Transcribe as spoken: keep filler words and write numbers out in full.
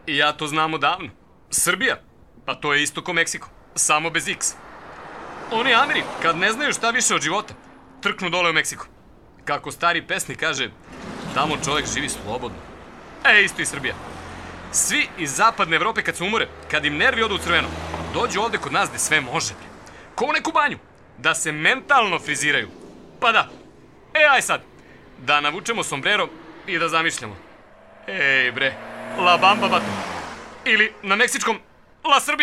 I ja to znam odavno. Srbija, pa to je isto ko Meksiko, samo bez X. Oni Ameri, kad ne znaju šta više od života, trknu dole u Meksiko. Kako stari pesnik kaže, tamo čovjek živi slobodno. E, isto i Srbija. Svi iz zapadne Evrope kad se umore, kad im nervi odu u crveno, dođu ovde kod nas gde sve može. Ko u neku banju, da se mentalno friziraju. Pa da, e aj sad, da navučemo sombrero i da zamišljamo. Ej bre, La Bamba bato. Ili na meksičkom, La Srbija.